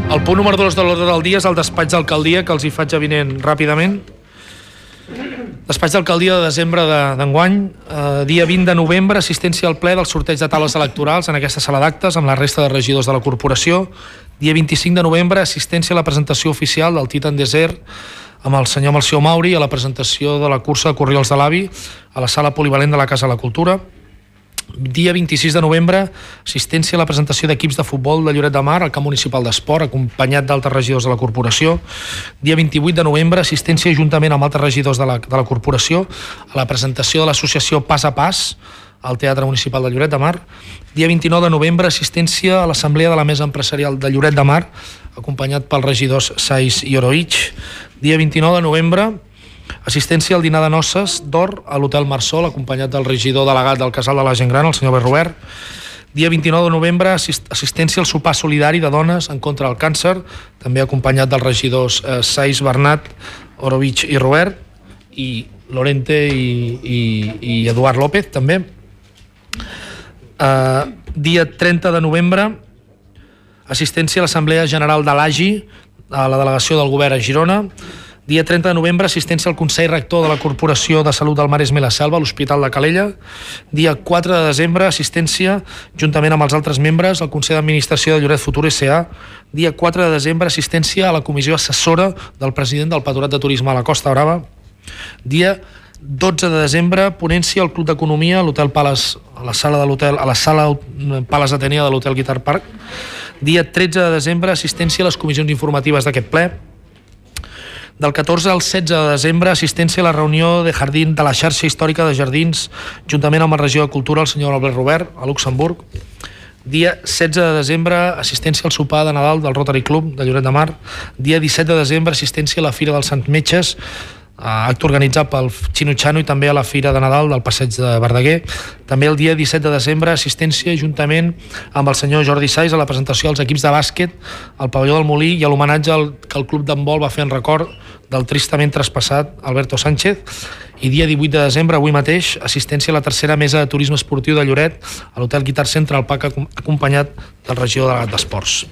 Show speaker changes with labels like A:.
A: El punt número 2 de l'ordre del dia és el despatx d'alcaldia, que els hi faig avinent ràpidament. Despatx d'alcaldia de desembre d'enguany, dia 20 de novembre, assistència al ple del sorteig de taules electorals en aquesta sala d'actes amb la resta de regidors de la corporació. Dia 25 de novembre, assistència a la presentació oficial del Titan Desert amb el senyor Melcior Mauri a la presentació de la cursa de Corriols de l'Avi a la sala polivalent de la Casa de la Cultura. Dia 26 de novembre, assistència a la presentació d'equips de futbol de Lloret de Mar al camp municipal d'esport, acompanyat d'altres regidors de la corporació. Dia 28 de novembre, assistència juntament amb altres regidors de la corporació a la presentació de l'associació Pas a Pas al Teatre Municipal de Lloret de Mar. Dia 29 de novembre, assistència a l'Assemblea de la Mesa Empresarial de Lloret de Mar, acompanyat pels regidors Sais i Oroich. Dia 29 de novembre, assistència al dinar de noces d'or a l'Hotel Marsol, acompanyat del regidor delegat del Casal de la Gent Gran, el senyor Berrobert. Dia 29 de novembre, assistència al sopar solidari de dones en contra del càncer, també acompanyat dels regidors Sais, Bernat, Orovich i Robert, i Lorente i Eduard López, també. Dia 30 de novembre, assistència a l'Assemblea General de l'AGI, a la delegació del Govern a Girona. Dia 30 de novembre, assistència al Consell Rector de la Corporació de Salut del Maresme i la Selva a l'Hospital de Calella. Dia 4 de desembre, assistència, juntament amb els altres membres, al Consell d'Administració de Lloret Futur S.A. Dia 4 de desembre, assistència a la comissió assessora del president del Patronat de Turisme a la Costa Brava. Dia 12 de desembre, ponència al Club d'Economia, a l'Hotel Palace, a la sala Palace Atenea de l'Hotel Guitar Park. Dia 13 de desembre, assistència a les comissions informatives d'aquest ple. Del 14 al 16 de desembre, assistència a la reunió de la xarxa històrica de jardins, juntament amb el regidor de Cultura, el senyor Albert Robert, a Luxemburg. Dia 16 de desembre, assistència al sopar de Nadal del Rotary Club de Lloret de Mar. Dia 17 de desembre, assistència a la Fira dels Sants Metges, acte organitzat pel Xino Chano, i també a la Fira de Nadal del Passeig de Verdaguer. També el dia 17 de desembre, assistència juntament amb el senyor Jordi Sais a la presentació dels equips de bàsquet al pavelló del Molí i a l'homenatge que el Club d'Handbol va fer en record del tristament traspassat Alberto Sánchez. I dia 18 de desembre, avui mateix, assistència a la tercera mesa de turisme esportiu de Lloret a l'Hotel Guitar Centre al PAC, acompanyat del regidor delegat d'Esports.